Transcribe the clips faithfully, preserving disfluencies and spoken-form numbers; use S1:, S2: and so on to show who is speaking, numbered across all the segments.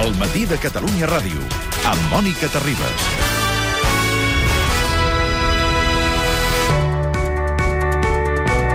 S1: El matí de Catalunya Ràdio, amb Mònica Terribas.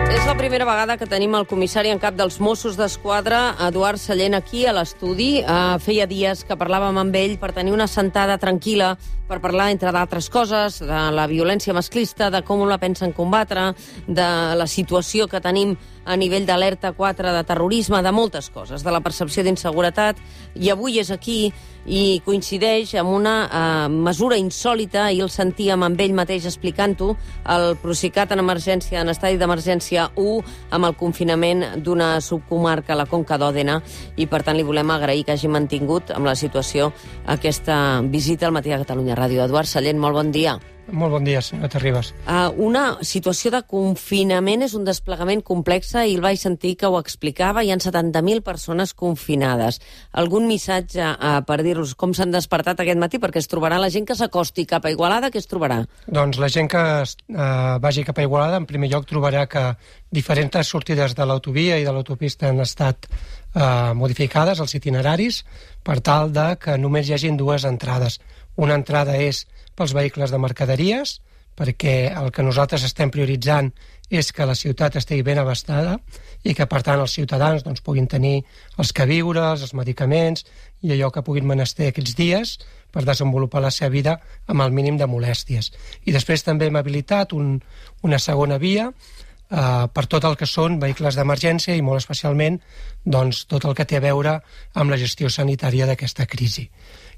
S2: És la primera vegada que tenim el comissari en cap dels Mossos d'Esquadra, Eduard Sallent, aquí a l'estudi. Uh, feia dies que parlàvem amb ell per tenir una sentada tranquil·la, per parlar, entre d'altres coses, de la violència masclista, de com la pensen combatre, de la situació que tenim a nivell d'alerta quatre de terrorisme, de moltes coses, de la percepció d'inseguretat. I avui és aquí i coincideix amb una uh, mesura insòlita, i el sentíem amb ell mateix explicant-ho, el Procicat en emergència, en estadi d'emergència u, amb el confinament d'una subcomarca, la Conca d'Òdena, i per tant li volem agrair que hagi mantingut amb la situació aquesta visita al matí de Catalunya Ràdio. Eduard Sallent, molt bon dia.
S3: Molt bon dia, senyora Terribas.
S2: Uh, una situació de confinament és un desplegament complex, i el vaig sentir que ho explicava. Hi ha setanta mil persones confinades. Algun missatge uh, per dir-los com s'han despertat aquest matí? Perquè es trobarà la gent que s'acosti cap a Igualada, què es trobarà?
S3: Doncs la gent que uh, vagi cap a Igualada, en primer lloc trobarà que diferents sortides de l'autovia i de l'autopista han estat uh, modificades, els itineraris, per tal de que només hi hagin dues entrades. Una entrada és pels vehicles de mercaderies, perquè el que nosaltres estem prioritzant és que la ciutat estigui ben abastada i que, per tant, els ciutadans doncs, puguin tenir els queviures, els medicaments i allò que puguin menester aquests dies per desenvolupar la seva vida amb el mínim de molèsties. I després també hem habilitat un, una segona via eh, per tot el que són vehicles d'emergència i molt especialment doncs, tot el que té a veure amb la gestió sanitària d'aquesta crisi.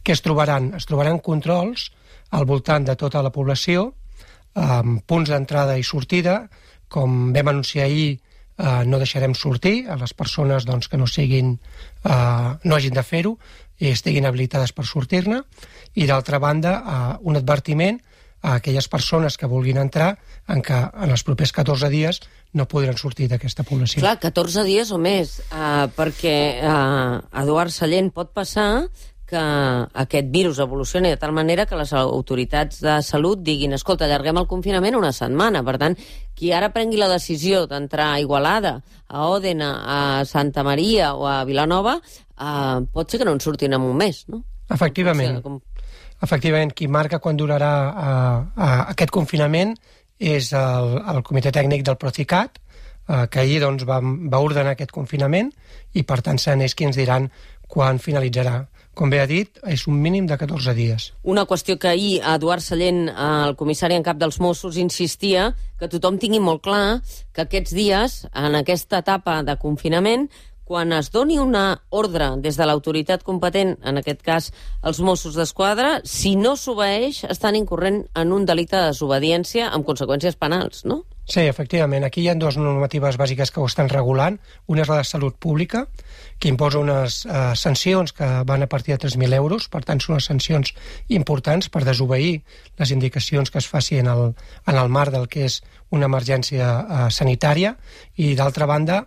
S3: Què es trobaran? Es trobaran controls al voltant de tota la població, amb punts d'entrada i sortida. Com vam anunciar ahir, eh, no deixarem sortir a les persones doncs, que no siguin, eh, no hagin de fer-ho i estiguin habilitades per sortir-ne. I d'altra banda, eh, un advertiment a aquelles persones que vulguin entrar en què en els propers catorze dies no podran sortir d'aquesta població.
S2: Clar, catorze dies o més, eh, perquè eh, Eduard Sallent, pot passar que aquest virus evolucioni de tal manera que les autoritats de salut diguin escolta, allarguem el confinament una setmana. Per tant, qui ara prengui la decisió d'entrar a Igualada, a Òdena, a Santa Maria o a Vilanova, eh, pot ser que no en surtin en un mes, no?
S3: Efectivament.
S2: O sigui, com...
S3: Efectivament, qui marca quan durarà uh, uh, aquest confinament és el, el Comitè Tècnic del Procicat, uh, que ahir doncs, va, va ordenar aquest confinament i, per tant, seran ells qui ens diran quan finalitzarà. Com bé ha dit, és un mínim de catorze dies.
S2: Una qüestió que ahir Eduard Sallent, el comissari en cap dels Mossos, insistia que tothom tingui molt clar que aquests dies, en aquesta etapa de confinament, quan es doni una ordre des de l'autoritat competent, en aquest cas els Mossos d'Esquadra, si no s'obeeix, estan incorrent en un delicte de desobediència amb conseqüències penals, no?
S3: Sí, efectivament. Aquí hi ha dues normatives bàsiques que ho estan regulant. Una és la de salut pública, que imposa unes eh, sancions que van a partir de tres mil euros. Per tant, són unes sancions importants per desobeir les indicacions que es faci en el, en el marc del que és una emergència eh, sanitària. I, d'altra banda,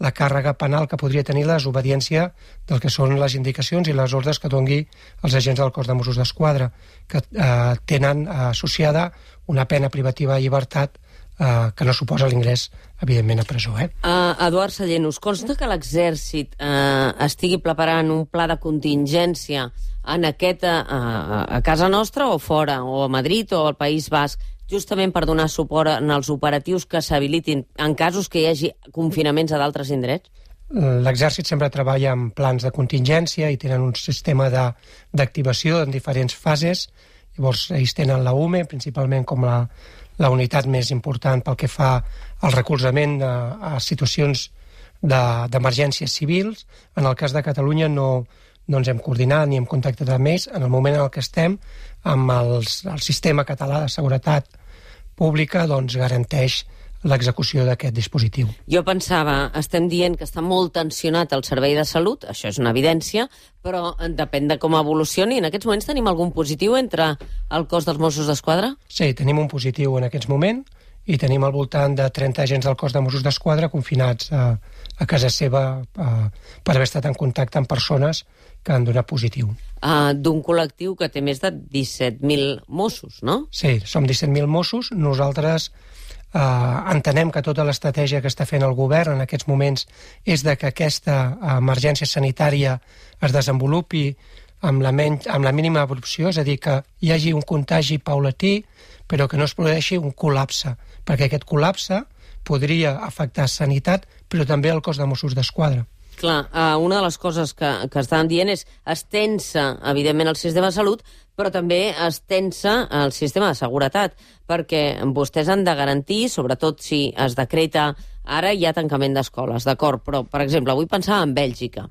S3: la càrrega penal que podria tenir la desobediència del que són les indicacions i les ordres que dongui els agents del cos de Mossos d'Esquadra, que eh, tenen eh, associada una pena privativa de llibertat Uh, que no suposa l'ingrés, evidentment, a presó. Eh?
S2: Uh, Eduard Sallent, us consta que l'exèrcit uh, estigui preparant un pla de contingència en aquesta, uh, a casa nostra o fora, o a Madrid o al País Basc, justament per donar suport en els operatius que s'habilitin en casos que hi hagi confinaments a d'altres indrets?
S3: L'exèrcit sempre treballa amb plans de contingència i tenen un sistema de, d'activació en diferents fases. Llavors, ells tenen la U M E, principalment com la la unitat més important pel que fa al recolzament a, a situacions d'emergències civils. En el cas de Catalunya no, no ens hem coordinat ni hem contactat amb ells. En el moment en el que estem, amb els, el sistema català de seguretat pública doncs, garanteix l'execució d'aquest dispositiu.
S2: Jo pensava, estem dient que està molt tensionat el servei de salut, això és una evidència, però depèn de com evolucioni. En aquests moments tenim algun positiu entre el cos dels Mossos d'Esquadra?
S3: Sí, tenim un positiu en aquests moments i tenim al voltant de trenta agents del cos de Mossos d'Esquadra confinats a, a casa seva a, per haver estat en contacte amb persones que han donat positiu.
S2: Uh, d'un col·lectiu que té més de disset mil Mossos, no?
S3: Sí, som disset mil Mossos. Nosaltres Uh, entenem que tota l'estratègia que està fent el govern en aquests moments és de que aquesta emergència sanitària es desenvolupi amb la, men amb la mínima abrupció, és a dir, que hi hagi un contagi paulatí, però que no es produeixi un col·lapse, perquè aquest col·lapse podria afectar sanitat, però també el cos de Mossos d'Esquadra.
S2: Clar, una de les coses que, que estaven dient és estensa, evidentment, el sistema de salut, però també estensa el sistema de seguretat, perquè vostès han de garantir, sobretot si es decreta ara hi ha tancament d'escoles, d'acord, però, per exemple, avui pensava en Bèlgica.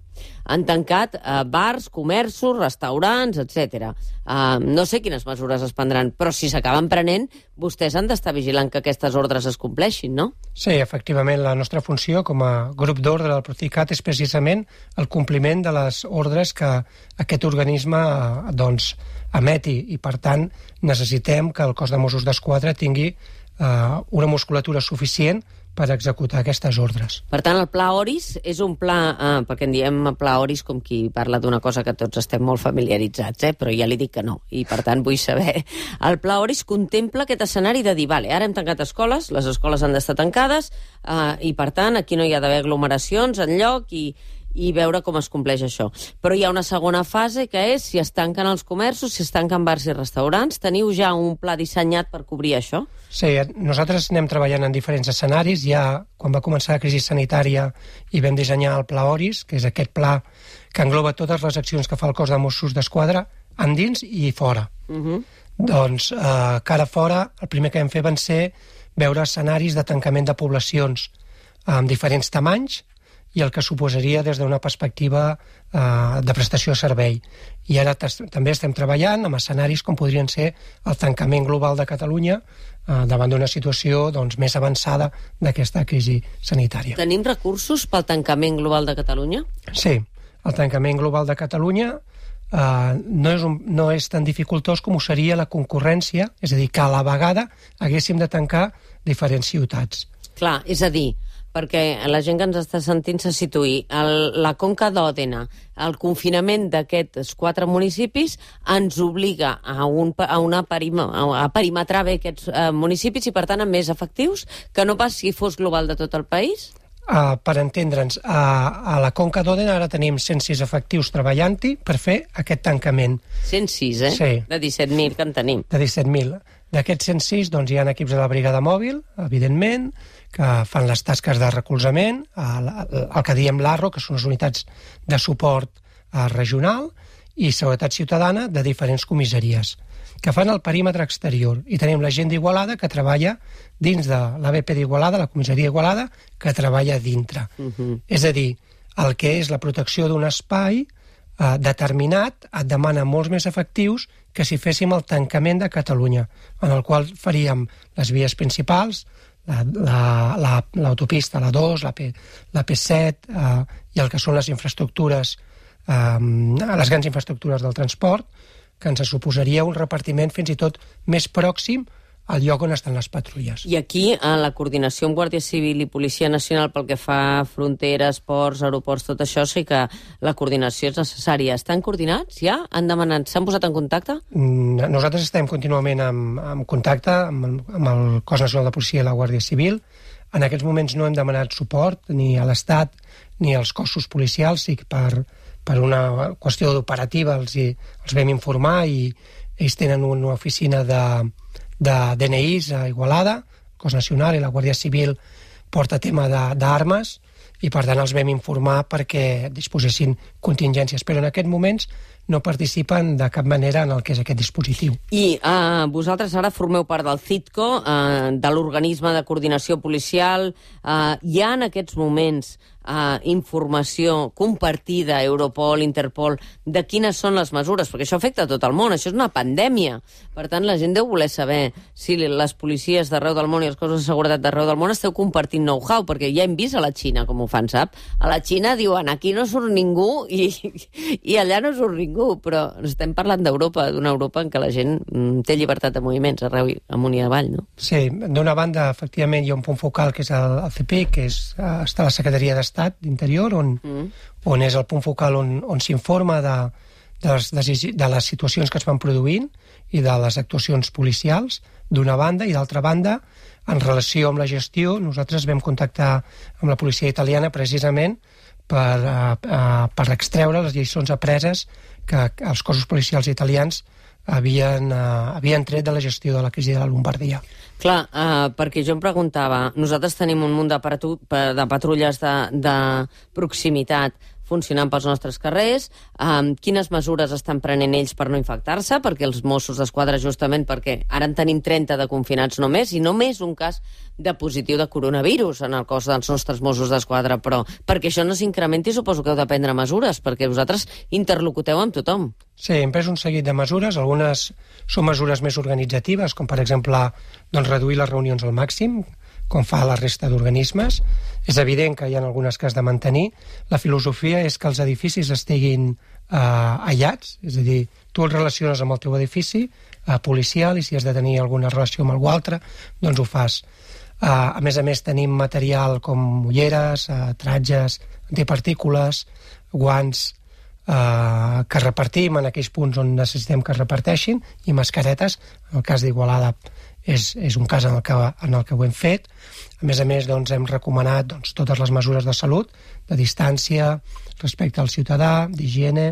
S2: Han tancat eh, bars, comerços, restaurants, etcètera. Eh, no sé quines mesures es prendran, però si s'acaben prenent, vostès han d'estar vigilant que aquestes ordres es compleixin, no?
S3: Sí, efectivament, la nostra funció com a grup d'ordre del Procicat és precisament el compliment de les ordres que aquest organisme eh, doncs, emeti, i per tant necessitem que el cos de Mossos d'Esquadra tingui eh, una musculatura suficient per executar aquestes ordres.
S2: Per tant, el Pla Oris és un pla, eh, perquè en diem Pla Oris com qui parla d'una cosa que tots estem molt familiaritzats, eh, però ja li dic que no, i per tant vull saber. El Pla Oris contempla aquest escenari de dir, vale, ara hem tancat escoles, les escoles han d'estar tancades, eh, i per tant aquí no hi ha d'haver aglomeracions enlloc i i veure com es compleix això. Però hi ha una segona fase, que és si es tanquen els comerços, si es tanquen bars i restaurants. Teniu ja un pla dissenyat per cobrir això?
S3: Sí, nosaltres anem treballant en diferents escenaris. Ja quan va començar la crisi sanitària i vam dissenyar el Pla Oris, que és aquest pla que engloba totes les accions que fa el cos de Mossos d'Esquadra, endins i fora. Uh-huh. Doncs, eh, cara fora, el primer que vam fer van ser veure escenaris de tancament de poblacions amb diferents tamanys, i el que suposaria des d'una perspectiva eh, de prestació de servei. I ara també estem treballant amb escenaris com podrien ser el tancament global de Catalunya eh, davant d'una situació doncs, més avançada d'aquesta crisi sanitària.
S2: Tenim recursos pel tancament global de Catalunya?
S3: Sí, el tancament global de Catalunya eh, no, és un, no és tan dificultós com ho seria la concurrència, és a dir, que a la vegada haguéssim de tancar diferents ciutats.
S2: Clar, és a dir, perquè la gent que ens està sentint se situï. El, la Conca d'Òdena, el confinament d'aquests quatre municipis ens obliga a, un, a, una perima, a perimetrar bé aquests eh, municipis i, per tant, amb més efectius, que no pas si fos global de tot el país?
S3: Uh, per entendre'ns, uh, a la Conca d'Òdena ara tenim cent sis efectius treballant-hi per fer aquest tancament.
S2: cent sis, eh?
S3: Sí.
S2: De disset mil que en tenim.
S3: De disset mil. D'aquests cent sis doncs, hi ha equips de la brigada mòbil, evidentment, que fan les tasques de recolzament, el, el que diem l'A R R O, que són les unitats de suport eh, regional, i seguretat ciutadana de diferents comissaries, que fan el perímetre exterior. I tenim la gent d'Igualada que treballa dins de l'A B P d'Igualada, la comissaria d'Igualada, que treballa dintre. Uh-huh. És a dir, el que és la protecció d'un espai eh, determinat et demana molts més efectius que si féssim el tancament de Catalunya, en el qual faríem les vies principals, l'autopista, la, la, la dos, la, P, la P set eh, i el que són les infraestructures, eh, les grans infraestructures del transport, que ens suposaria un repartiment fins i tot més pròxim al lloc on estan les patrulles.
S2: I aquí, a la coordinació amb Guàrdia Civil i Policia Nacional pel que fa a fronteres, ports, aeroports, tot això, sí que la coordinació és necessària. Estan coordinats ja? Han demanat, s'han posat en contacte?
S3: Nosaltres estem contínuament en, en contacte amb el, amb el Cos Nacional de Policia i la Guàrdia Civil. En aquests moments no hem demanat suport ni a l'Estat ni als cossos policials, sí que per, per una qüestió operativa els, els vam informar i ells tenen una oficina de de D N Is a Igualada, Cos Nacional i la Guàrdia Civil porta tema d'armes i per tant els vam informar perquè disposessin contingències, però en aquests moments no participen de cap manera en el que és aquest dispositiu.
S2: I uh, vosaltres ara formeu part del CITCO, uh, de l'organisme de coordinació policial. Uh, hi ha en aquests moments uh, informació compartida, Europol, Interpol, de quines són les mesures, perquè això afecta a tot el món, això és una pandèmia. Per tant, la gent deu voler saber si les policies d'arreu del món i els cossos de seguretat d'arreu del món esteu compartint know-how, perquè ja hem vist a la Xina com ho fan, sap? A la Xina diuen, aquí no surt ningú i, i allà no surt ningú, però estem parlant d'Europa, d'una Europa en què la gent mm, té llibertat de moviments arreu amunt i avall, no?
S3: Sí, d'una banda, efectivament, hi ha un punt focal que és el, el C P I, que és, està a la Secretaria d'Estat d'Interior, on, mm. on és el punt focal on, on s'informa de, de, les, de les situacions que es van produint i de les actuacions policials, d'una banda, i d'altra banda, en relació amb la gestió, nosaltres vam contactar amb la policia italiana precisament per, uh, uh, per extreure les lliçons apreses que els cossos policials italians havien, uh, havien tret de la gestió de la crisi de la Lombardia.
S2: Clar, uh, perquè jo em preguntava, nosaltres tenim un munt de, de patrulles de, de proximitat funcionant pels nostres carrers, um, quines mesures estan prenent ells per no infectar-se, perquè els Mossos d'Esquadra, justament perquè ara en tenim trenta de confinats només, i només un cas de positiu de coronavirus en el cos dels nostres Mossos d'Esquadra, però perquè això no s'incrementi suposo que heu de prendre mesures, perquè vosaltres interlocuteu amb tothom.
S3: Sí, hem pres un seguit de mesures, algunes són mesures més organitzatives, com per exemple doncs, reduir les reunions al màxim, com fa la resta d'organismes. És evident que hi ha algunes que has de mantenir. La filosofia és que els edificis estiguin eh, aïllats, és a dir, tu els relaciones amb el teu edifici eh, policial i si has de tenir alguna relació amb algú altre, doncs ho fas. Eh, a més a més, tenim material com ulleres, eh, tratges, antipartícules, guants, eh, que repartim en aquells punts on necessitem que es reparteixin, i mascaretes. En el cas d'Igualada és, és un cas en el, que, en el que ho hem fet. A més a més, doncs, hem recomanat doncs, totes les mesures de salut, de distància, respecte al ciutadà, d'higiene,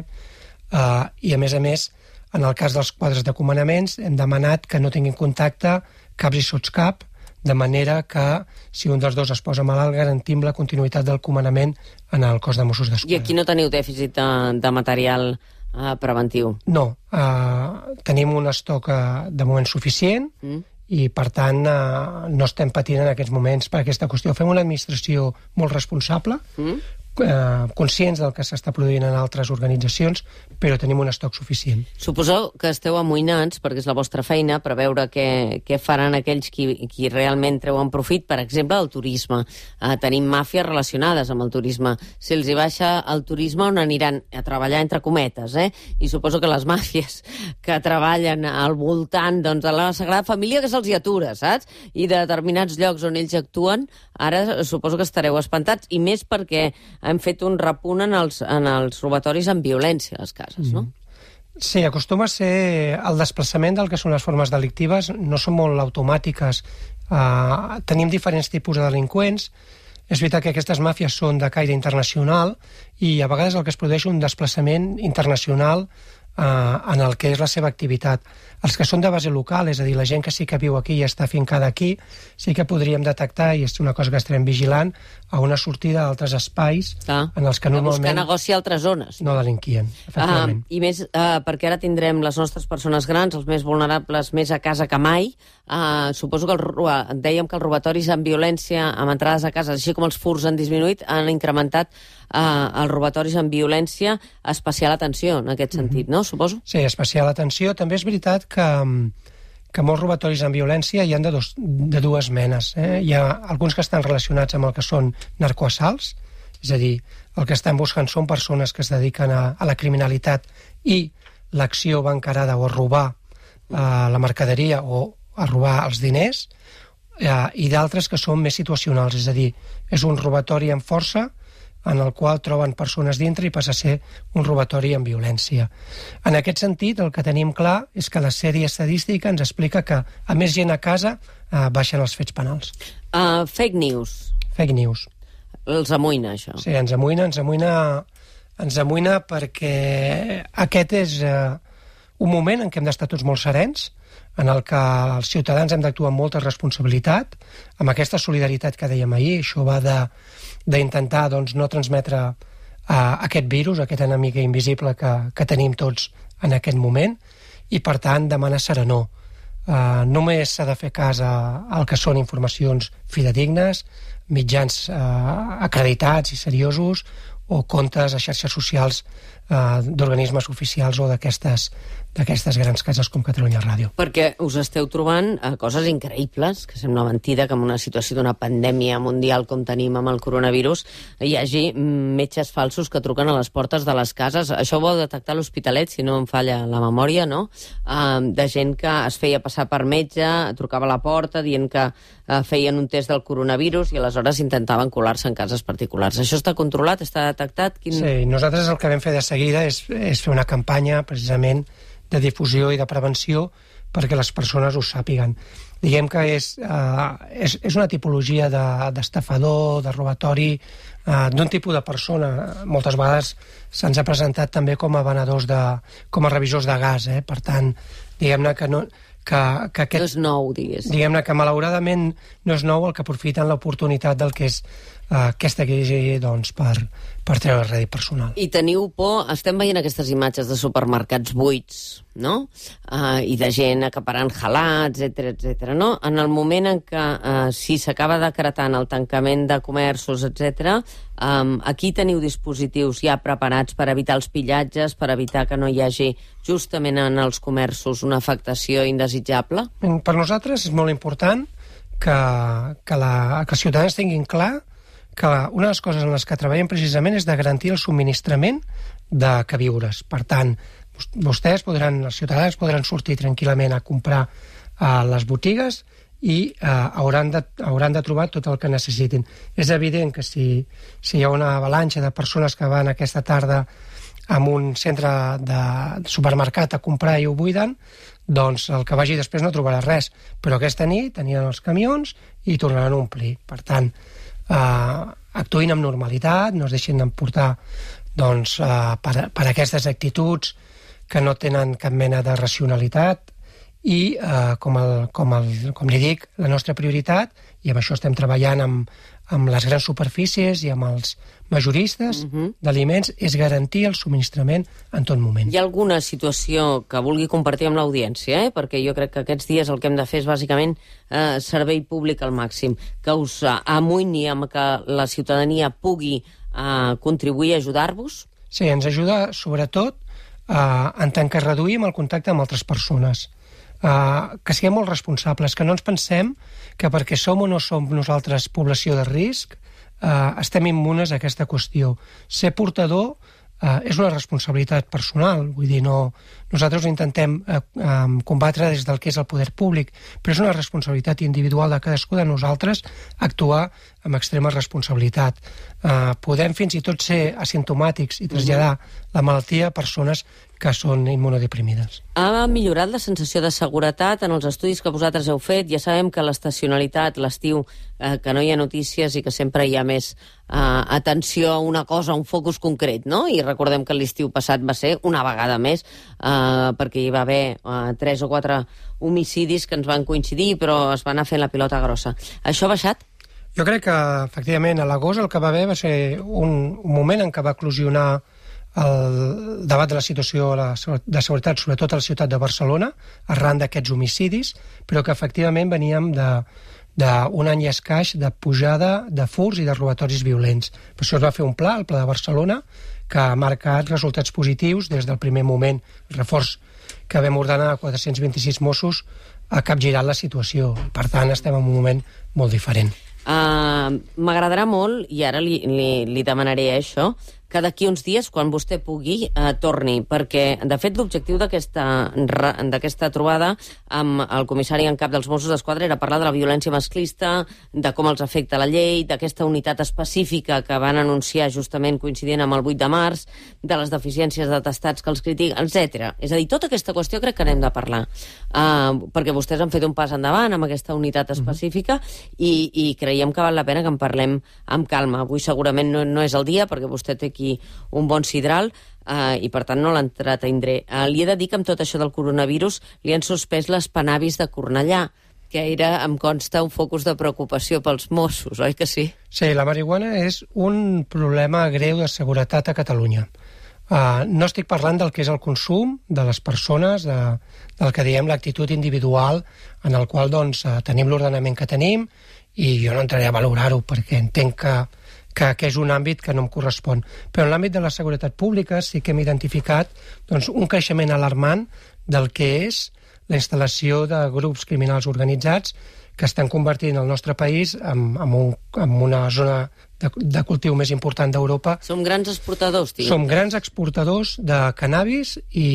S3: eh, i a més a més, en el cas dels quadres de comandaments, hem demanat que no tinguin contacte caps i sotscap, de manera que, si un dels dos es posa malalt, garantim la continuïtat del comandament en el cos de Mossos d'Esquadra.
S2: I aquí no teniu dèficit de, de material eh, preventiu?
S3: No, eh, tenim un estoc eh, de moment suficient, mm. i, per tant, eh, no estem patint en aquests moments per aquesta qüestió. Fem una administració molt responsable, mm. eh, conscients del que s'està produint en altres organitzacions, però tenim un estoc suficient.
S2: Suposo que esteu amoïnats, perquè és la vostra feina, per veure què, què faran aquells qui, qui realment treuen profit, per exemple, del turisme. Eh, tenim màfies relacionades amb el turisme. Si els hi baixa el turisme, on aniran? A treballar entre cometes, eh? I suposo que les màfies que treballen al voltant doncs, de la Sagrada Família, que se'ls hi atura, saps? I de determinats llocs on ells actuen, ara suposo que estareu espantats, i més perquè hem fet un repunt en els, en els robatoris amb violència a les cases, no?
S3: Sí, acostuma a ser el desplaçament del que són les formes delictives, no són molt automàtiques. Uh, tenim diferents tipus de delinqüents. És veritat que aquestes màfies són de caire internacional i a vegades el que es produeix un desplaçament internacional uh, en el que és la seva activitat. Els que són de base local, és a dir, la gent que sí que viu aquí i està fincada aquí, sí que podríem detectar, i és una cosa que estarem vigilant, a una sortida d'altres espais
S2: ah,
S3: en els que normalment...
S2: buscar negoci a altres zones.
S3: No delinquien, efectivament.
S2: Uh, I més, uh, perquè ara tindrem les nostres persones grans, els més vulnerables, més a casa que mai. Uh, suposo que el, dèiem que els robatoris amb violència, amb entrades a casa, així com els furts han disminuït, han incrementat uh, els robatoris amb violència, especial atenció en aquest sentit, mm-hmm. no? Suposo?
S3: Sí, especial atenció. També és veritat que, que molts robatoris amb violència hi ha de, dos, de dues menes. Eh? Hi ha alguns que estan relacionats amb el que són narcoassalts, és a dir, el que estan buscant són persones que es dediquen a, a la criminalitat i l'acció va encarada o a robar eh, la mercaderia o a robar els diners, eh, i d'altres que són més situacionals, és a dir, és un robatori amb força en el qual troben persones dintre i passa a ser un robatori amb violència. En aquest sentit, el que tenim clar és que la sèrie estadística ens explica que a més gent a casa eh, baixen els fets penals.
S2: Uh, fake news.
S3: Fake news.
S2: Els amoïna, això.
S3: Sí, ens amoïna, ens amoïna, ens amoïna perquè aquest és eh, un moment en què hem d'estar tots molt serens, en el que els ciutadans hem d'actuar amb molta responsabilitat, amb aquesta solidaritat que dèiem ahir. Això va de d'intentar doncs, no transmetre uh, aquest virus, aquest enemic invisible que, que tenim tots en aquest moment, i per tant demanar serenor. Uh, només s'ha de fer cas al que són informacions fidedignes, mitjans uh, acreditats i seriosos, o comptes a xarxes socials uh, d'organismes oficials o d'aquestes d'aquestes grans cases com Catalunya Ràdio.
S2: Perquè us esteu trobant eh, coses increïbles, que sembla mentida que en una situació d'una pandèmia mundial com tenim amb el coronavirus hi hagi metges falsos que truquen a les portes de les cases. Això ho vau detectar a l'Hospitalet, si no em falla la memòria, no? Uh, de gent que es feia passar per metge, trucava a la porta dient que uh, feien un test del coronavirus i aleshores intentaven colar-se en cases particulars. Això està controlat? Està detectat? Quin...
S3: Sí, nosaltres el que vam fer de seguida és, és fer una campanya precisament de difusió i de prevenció perquè les persones ho sàpiguen. diguem que és, uh, és, és una tipologia d'estafador, de, de robatori, uh, d'un tipus de persona. Moltes vegades se'ns ha presentat també com a venedors de, com a revisors de gas, eh? Per tant, diguem-ne que no... Que, que aquest,
S2: no és nou, digués.
S3: Diguem-ne que malauradament no és nou el que aprofiten l'oportunitat del que és uh, aquesta crisi doncs, per, per treure rèdit personal.
S2: I teniu por, estem veient aquestes imatges de supermercats buits, no? Uh, I de gent acaparant halats, etcètera, etcètera, no? En el moment en què, uh, si s'acaba decretant el tancament de comerços, etcètera, um, aquí teniu dispositius ja preparats per evitar els pillatges, per evitar que no hi hagi justament en els comerços una afectació indesitjable?
S3: Per nosaltres és molt important que, que, la, que els ciutadans tinguin clar que una de les coses en les que treballem precisament és de garantir el subministrament de queviures. Per tant, vostès podran, els ciutadans podran sortir tranquil·lament a comprar a les botigues i eh, hauran, de, hauran de trobar tot el que necessitin. És evident que si, si hi ha una avalanxa de persones que van aquesta tarda en un centre de supermercat a comprar i ho buiden, doncs el que vagi després no trobarà res. Però aquesta nit tenien els camions i tornaran a omplir. Per tant, eh, actuïn amb normalitat, no es deixin d'emportar doncs, eh, per, per aquestes actituds que no tenen cap mena de racionalitat i, eh, com, el, com, el, com li dic, la nostra prioritat, i amb això estem treballant amb, amb les grans superfícies i amb els majoristes uh-huh. d'aliments, és garantir el subministrament en tot moment.
S2: Hi ha alguna situació que vulgui compartir amb l'audiència, eh? Perquè jo crec que aquests dies el que hem de fer és bàsicament eh, servei públic al màxim, que us eh, amoïni amb que la ciutadania pugui eh, contribuir a ajudar-vos?
S3: Sí, ens ajuda sobretot eh, en tant que reduïm el contacte amb altres persones. Uh, que siguem molt responsables, que no ens pensem que perquè som o no som nosaltres població de risc uh, estem immunes a aquesta qüestió. Ser portador uh, és una responsabilitat personal, vull dir, no, nosaltres ho intentem uh, um, combatre des del que és el poder públic, però és una responsabilitat individual de cadascú de nosaltres actuar amb extrema responsabilitat. Uh, podem fins i tot ser asimptomàtics i traslladar la malaltia a persones que són immunodeprimides.
S2: Ha millorat la sensació de seguretat en els estudis que vosaltres heu fet? Ja sabem que l'estacionalitat, l'estiu, eh, que no hi ha notícies i que sempre hi ha més eh, atenció a una cosa, a un focus concret, no? I recordem que l'estiu passat va ser una vegada més, eh, perquè hi va haver eh, tres o quatre homicidis que ens van coincidir, però es va anar fent la pilota grossa. Això ha baixat?
S3: Jo crec que, efectivament, a l'agost el que va haver va ser un, un moment en què va eclosionar el debat de la situació de seguretat, sobretot a la ciutat de Barcelona, arran d'aquests homicidis, però que efectivament veníem d'un any i escaix de pujada de furts i de robatoris violents. Per això es va fer un pla, el Pla de Barcelona, que ha marcat resultats positius des del primer moment. El reforç que vam ordenar a quatre-cents vint-i-sis Mossos ha capgirat la situació. Per tant, estem en un moment molt diferent.
S2: Uh, M'agradarà molt, i ara li, li, li demanaré això, que d'aquí uns dies, quan vostè pugui, eh, torni, perquè, de fet, l'objectiu d'aquesta trobada amb el comissari en cap dels Mossos d'Esquadra era parlar de la violència masclista, de com els afecta la llei, d'aquesta unitat específica que van anunciar justament coincidint amb el vuit de març, de les deficiències d'atestats que els critiquen, etcètera. És a dir, tota aquesta qüestió crec que n'hem de parlar, uh, perquè vostès han fet un pas endavant amb aquesta unitat específica i, i creiem que val la pena que en parlem amb calma. Avui segurament no, no és el dia, perquè vostè té aquí un bon sidral uh, i per tant no l'entretindré. Uh, li he de dir que amb tot això del coronavirus li han suspès les Panavis de Cornellà, que era, em consta, un focus de preocupació pels Mossos, oi que sí?
S3: Sí, la marihuana és un problema greu de seguretat a Catalunya. Uh, no estic parlant del que és el consum de les persones, de, del que diem l'actitud individual, en el qual doncs, uh, tenim l'ordenament que tenim, i jo no entraré a valorar-ho perquè entenc que Que, que és un àmbit que no em correspon. Però en l'àmbit de la seguretat pública sí que hem identificat doncs, un creixement alarmant del que és la instal·lació de grups criminals organitzats que estan convertint el nostre país en, en, un, en una zona de, de cultiu més important d'Europa.
S2: Som grans exportadors, tio.
S3: Som grans exportadors de cannabis i,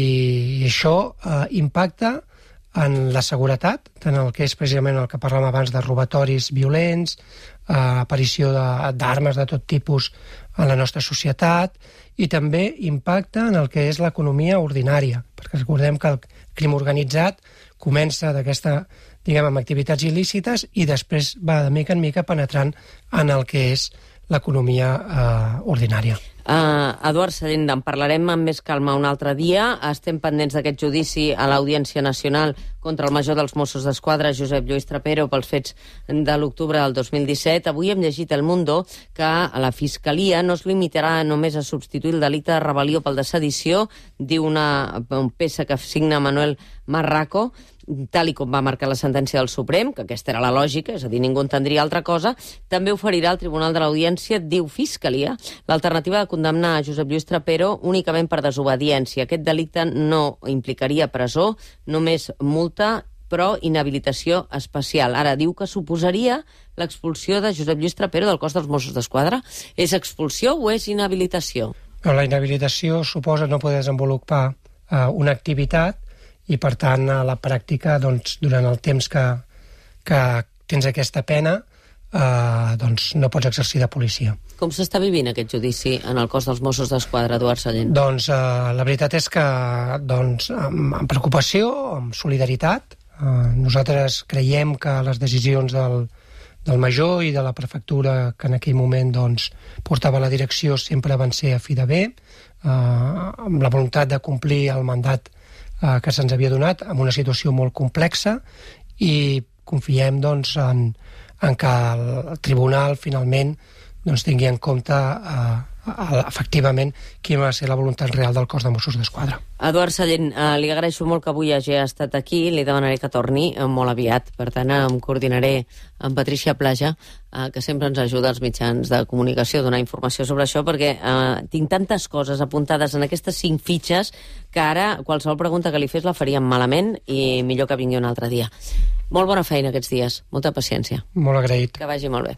S3: i això eh, impacta en la seguretat, tant el que és precisament el que parlàvem abans de robatoris violents, eh, aparició d'armes de, de tot tipus en la nostra societat, i també impacta en el que és l'economia ordinària, perquè recordem que el crim organitzat comença d'aquesta, diguem, amb activitats il·lícites i després va de mica en mica penetrant en el que és l'economia eh, ordinària.
S2: Uh, Eduard Sallent, en parlarem amb més calma un altre dia. Estem pendents d'aquest judici a l'Audiència Nacional contra el major dels Mossos d'Esquadra, Josep Lluís Trapero, pels fets de l'octubre del dos mil disset. Avui hem llegit al Mundo que la Fiscalia no es limitarà només a substituir el delicte de rebel·lió pel de sedició, diu una peça que signa Manuel Marraco, tal i com va marcar la sentència del Suprem, que aquesta era la lògica, és a dir, ningú entendria altra cosa. També oferirà al Tribunal de l'Audiència, diu Fiscalia, l'alternativa de condemnar a Josep Lluís Trapero únicament per desobediència. Aquest delicte no implicaria presó, només multa, però inhabilitació especial. Ara diu que suposaria l'expulsió de Josep Lluís Trapero del cos dels Mossos d'Esquadra. És expulsió o és inhabilitació?
S3: La inhabilitació suposa no poder desenvolupar eh, una activitat i, per tant, a la pràctica, doncs, durant el temps que, que tens aquesta pena, eh, doncs no pots exercir de policia.
S2: Com s'està vivint aquest judici en el cos dels Mossos d'Esquadra, Eduard Sallent?
S3: Doncs eh, la veritat és que doncs, amb, amb preocupació, amb solidaritat, eh, nosaltres creiem que les decisions del, del major i de la prefectura que en aquell moment doncs, portava la direcció sempre van ser a fi de bé, eh, amb la voluntat de complir el mandat que se'ns havia donat, en una situació molt complexa, i confiem doncs, en, en que el tribunal finalment doncs, tingui en compte eh, efectivament quina va ser la voluntat real del cos de Mossos d'Esquadra.
S2: Eduard Sallent, eh, li agraeixo molt que avui hagi estat aquí, li demanaré que torni eh, molt aviat, per tant em coordinaré amb Patricia Plaja, eh, que sempre ens ajuda als mitjans de comunicació a donar informació sobre això, perquè eh, tinc tantes coses apuntades en aquestes cinc fitxes que ara qualsevol pregunta que li fes la faríem malament i millor que vingui un altre dia. Molt bona feina aquests dies, molta paciència.
S3: Molt agraït.
S2: Que vagi molt bé.